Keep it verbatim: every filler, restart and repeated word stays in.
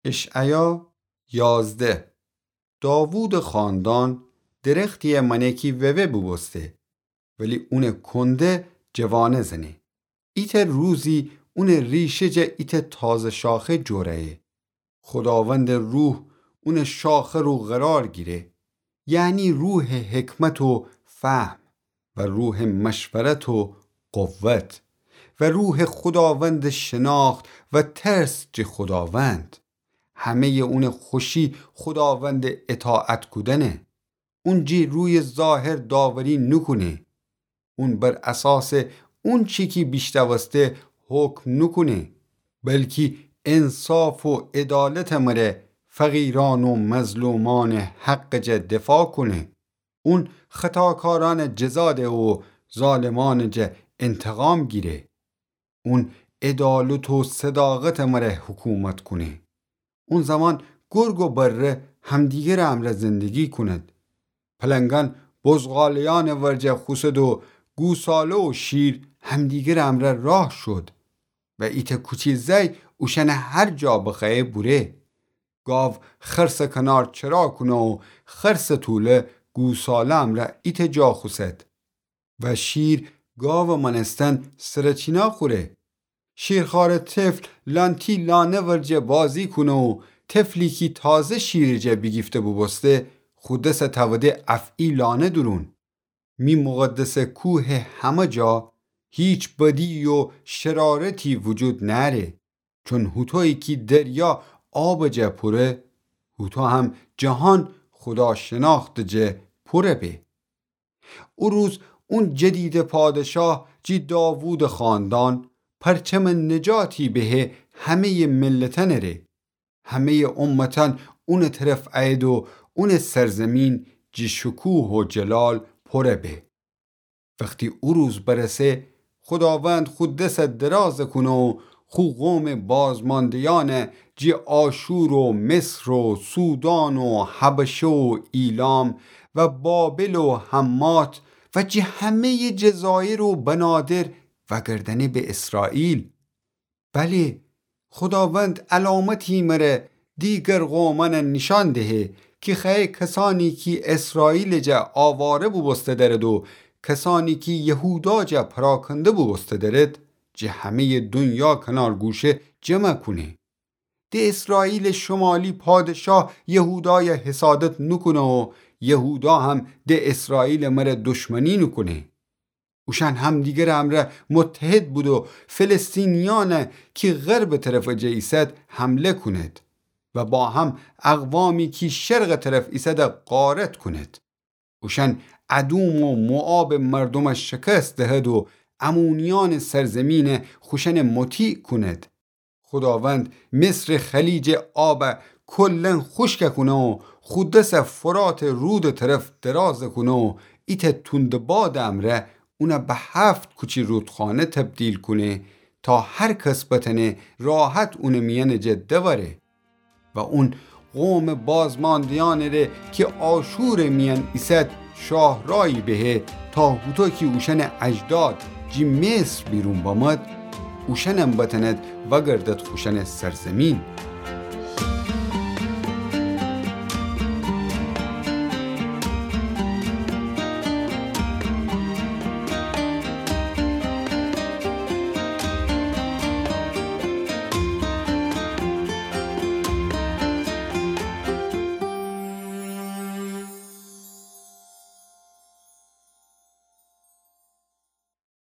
اشعیا یازده. داوودٚ خاندان درختی‌یٚ مأنه کی ووه بوبوسته، ولی اونٚ کنده جوانه زنه. ایتأ روزی اونٚ ریشه جا ایتأ تازه شاخه جوره‌یه. خوداوندٚ روح اونٚ شاخه رو قرار گیره، یعنی روحٚ حکمت و فهم و روحٚ مشورت و قوت و روحٚ خوداوندٚ شناخت و ترس جٚه خوداوند. همه‌یٚ اونٚ خوشی خوداوندٚ اطاعت کودنه. اون جٚه رویٚ ظاهر داوری نوکونه. اون بر اساسٚ اونچی کی بیشنوسته حکم نوکونه، بلکی انصاف و عدالتٚ مره فقیرأن و مظلومأنٚ حقٚ جا دفاع کونه. اون خطاکارأنٚ جزا ده و ظالمأنٚ جا انتقام گیره. اون عدالت و صداقتٚ مره حکومت کونه. اون زمان گرگ و بره همدیگرٚ امرأ زندگی کونید. پلنگأن بزغاله‌یأنٚ ورجه خوسد و گوساله و شیر همدیگرٚ امرأ راه شود و ایتأ کوچی زأی اوشأنٚ هر جا بخوأیه بوره. گاو خرسٚ کنار چرا کونه و خرسٚ توله گوساله امرأ ایتأ جا خوسد و شیر گاوٚ مأنستن سرچینا خوره. شیرخوارٚ طفل لأنتی لانه ورجه بازی کونه و طفلی کی تازه شیرٚ جا بیگیفته بوبوسته خو دسٚ توده افعی لانه دورون. می مقدسٚ کوهٚ همه جا هیچ بدی و شرارتی وجود نأره. چون هوطویی کی دریا آبٚ جا پوره، هوطو هم جهان خودا شناختٚ جا پوره به. او روز اون جدیدٚ پادشاه جی داوودٚ خاندان پرچمٚ نجاتی بهه همه‌یٚ ملتأنٚ ره. همه‌یٚ امتأن اونٚ طرف ایید و اونٚ سرزمین جی شکوه و جلال پوره به. وختی او روز برسه، خوداوند خو دسٚ درازٚ کونه و خو قومٚ بازمانده‌یأن جی آشور و مصر و سودان و حبشه و ایلام و بابل و حمات و جی همه‌یٚ جزایر و بنادر وأگردأنه به اسرائیل. بلی، خوداوند علامتی مره دیگر قومأن نیشأن دهه کی خوأیه کسأنی کی اسرائیلٚ جا آواره بوبوسته درد و کسأنی کی یهودا جا پراکنده بوبوسته درد، جٚه همه‌یٚ دونیا کنارگوشه جمع کونه. د اسرائیلٚ شمالی پادشاه یهودای حسادت نوکونه و یهودا هم د اسرائیلٚ مره دشمنی نوکونه. اوشأن همدیگرٚ امرأ متحد بودو فلسطینیأن کی غربٚ طرفٚ جا ایسد حمله کونید و با هم اقوامی کی شرقٚ طرف ایسد غارت کونید. اوشأن ادوم و موآبٚ مردوم شکست دهد و عمونیأنٚ سرزمین خوشأن مطیع کونید. خوداوند مصرٚ خلیجٚ آب کلن خوشک کونه و خو دس فراتٚ رودٚ طرف دراز کونه و ایتأ توندٚ بادٚ امرأ اون به هفت کوچی رودخانه تبدیل کونه تا هر کس بتأنه راحت اونٚ میأنٚ جا دوأره. و اون قومٚ بازماندهیأنٚ ره کی آشورٚ میأن ایسد شاهرایی بهه تا هوطو کی اوشأنٚ اجداد جی مصر بیرون بمد، اوشأنم بتأند وأگردد خوشأنٚ سرزمین.